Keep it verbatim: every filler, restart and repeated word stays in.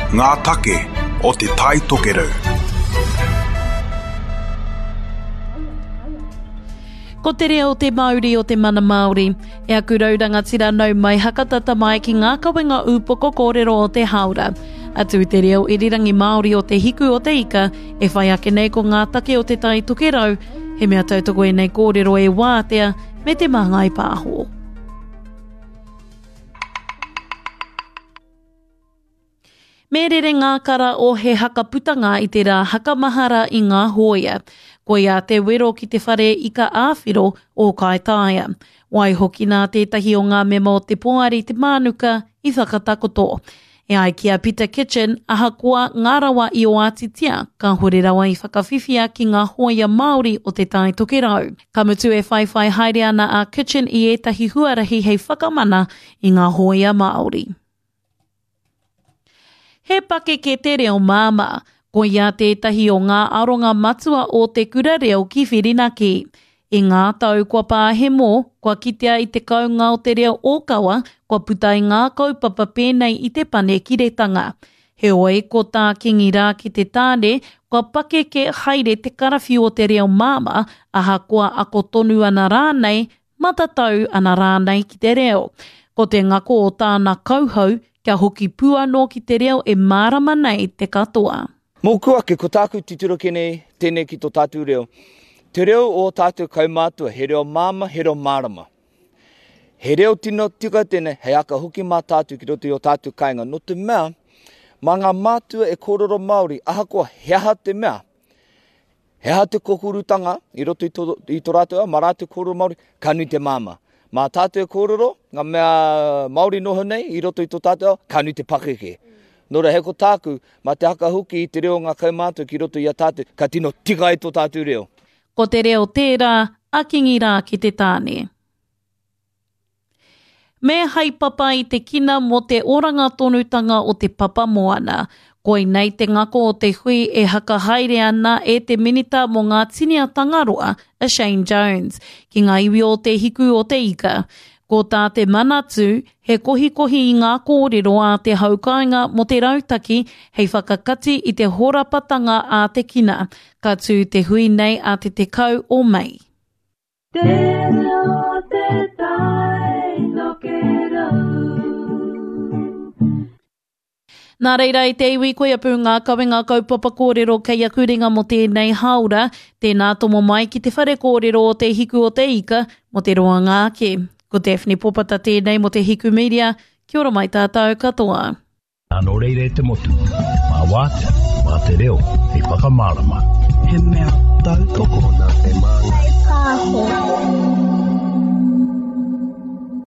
Ngā take o Te Tai Tokerau. Ko te reo te mauri o te mana Māori. E aku rau rangatira nau mai hakatata mai ki ngā kawenga ūpoko kōrero o te hāora. Atu i te reo irirangi Māori o te hiku o te ika, e whai ake nei ko ngā take o Te Tai Tokerau, he mea tautoko ēnei kōrero e wātea me te Māngai Pāho. Me rere ngā kara o He Haka Putanga i te rā hakamahara i ngā hōia. Koia te wero ki te whare ika āwhiro o Kaitaia. Waihoki nā tētahi o ngā mema o te poari Te Mānuka i whakatakoto. E ai ki a Peter Kitchen, ahakoa ngā rawa i oatitia, kāhore rawa i whakawhiwhia ki ngā hōia Māori o Te Tai Tokerau. Ka mutu e whaiwhai haere ana a Kitchen i ētahi huarahi hei whakamana i ngā hōia Māori. He pakeke te reo māmā. Koia tētahi o ngā aronga matua o te kura reo ki Whirinaki. I ngā tau kua pāhemo, kua kitea i te kaunga o te reo ōkawa, kua puta i ngā kaupapa pēnei i te panekiretanga. Heoi, ko tā Kingi rā ki te tāne, kua pakeke haere te karawhiu o te reo māmā, ahakoa ako tonu ana rānei, matatau ana rānei ki te reo. Ko te ngako o tāna kauhau, kia hoki pū anō ki te reo e mārama nei te katoa. Mōku ake, ko tāku titiro ki nei, tēnei ki tō tātou reo. Te reo o tātou kaumātua, he reo māmā, he reo mārama. He reo tino tika tēnei, hei aka hoki mā tātou ki roto i o tātou kāinga. Nō te mea, mā ngā mātua e kōrero Māori, ahakoa he aha te mea, he aha te kokurutanga i roto i tō, i tō rātou ao, mā rātou kōrero Māori, ka nui te māmā. Mā tātou e kōrero, ngā mea Māori noho nei i roto i tō tātou ao, ka nui te pakeke. Nō reira, hei ko tāku, mā te haka hoki i te reo o ngā kaumātua ki roto i a tātou, ka tino tika ai tō tātou reo. Ko te reo tērā a Kingi rā ki te tāne. Me haepapa i te kina mō te oranga tonutanga o te papa moana. Koinei te ngako o te hui e hakahaere ana e te Minita mō ngā Tini a Tangaroa, a Shane Jones, ki ngā iwi o Te Hiku o te Ika. Ko tā te Manatū, he kohikohi i ngā kōrero a te haukāinga mō te rautaki hei whakakati i te horapatanga a te kina. Ka tū te hui nei a te tekau o Mei. Te reo te tai tokerau. Nā reira i te iwi koia pū ngā kawenga kaupapa kōrero kei aku ringa mō tēnei hāora, tēnā tomo mai ki te whare kōrero o Te Hiku o te Ika mō te roanga ake. Ko Daphne Popata tēnei mō Te Hiku Media, kia ora mai tātou katoa. Nā, nō reira e te motu, mā Wātea, mā te reo, hei whakamārama.